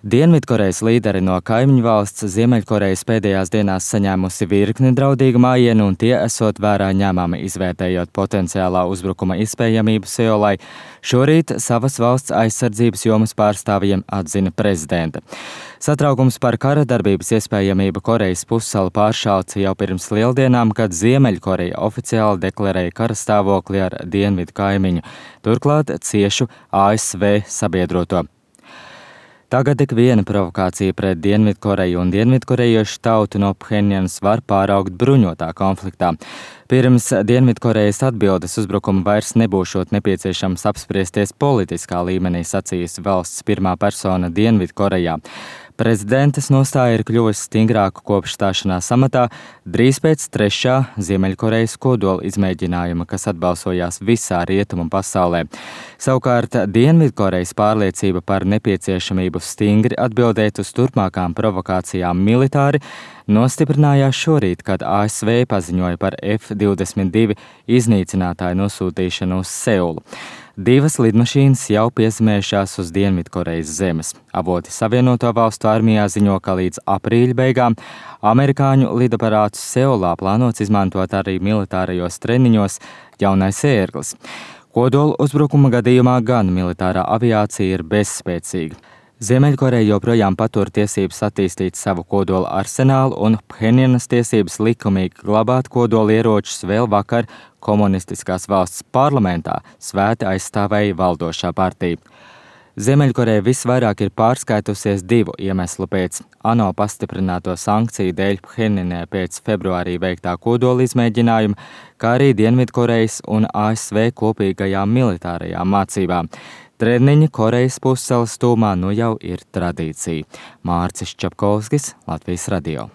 Dienvidkorejas līderi no kaimiņu valsts Ziemeļkorejas pēdējās dienās saņēmusi virkni draudīgu mājienu, un tie esot vērā ņēmami izvērtējot potenciālā uzbrukuma iespējamību Seulai. Šorīt savas valsts aizsardzības jomas pārstāvjiem atzina prezidente. Satraukums par kara darbības iespējamību Korejas pussalu pāršauca jau pirms lieldienām, kad Ziemeļkoreja oficiāli deklarēja kara stāvokli ar dienvidu kaimiņu, turklāt ciešu ASV sabiedroto. Tagad tik viena provokācija pret Dienvidkoreju un dienvidkorejiešu tautu no Phenjanas var pāraugt bruņotā konfliktā. Pirms Dienvidkorejas atbildes uzbrukuma vairs nebūšot nepieciešams apspriesties politiskā līmenī, sacījusi valsts pirmā persona Dienvidkorejā. Prezidentes nostāja ir kļuvusi stingrāka kopš stāšanās amatā drīz pēc trešā Ziemeļkorejas kodola izmēģinājuma, kas atbalsojās visā rietumu pasaulē. Savukārt Dienvidkorejas pārliecība par nepieciešamību stingri atbildēt uz turpmākām provokācijām militāri nostiprinājās šorīt, kad ASV paziņoja par F-22 iznīcinātāju nosūtīšanu uz Seulu. 2 lidmašīnas jau piezemējušās uz Dienvidkorejas zemes. Avoti Savienoto Valstu armijā ziņo, ka līdz aprīļa beigām amerikāņu lidaparātus Seulā plānots izmantot arī militārajos treniņos jaunais ērglis. Kodola uzbrukuma gadījumā gan militārā aviācija ir bezspēcīga. Ziemeļkoreja joprojām patur tiesības attīstīt savu kodola arsenālu, un Phenjanas tiesības likumīgi glabāt kodola ieročus vēl vakar komunistiskās valsts parlamentā svēti aizstāvēja valdošā partija. Ziemeļkoreja visvairāk ir pārskaitusies 2 iemeslu pēc: ANO pastiprināto sankciju dēļ Phenjanai pēc februārī veiktā kodola izmēģinājuma, kā arī Dienvidkorejas un ASV kopīgajām militārajām mācībām. Treniņi Korejas pussalas tūmā nu jau ir tradīcija. Mārcis Čapkovskis, Latvijas radio.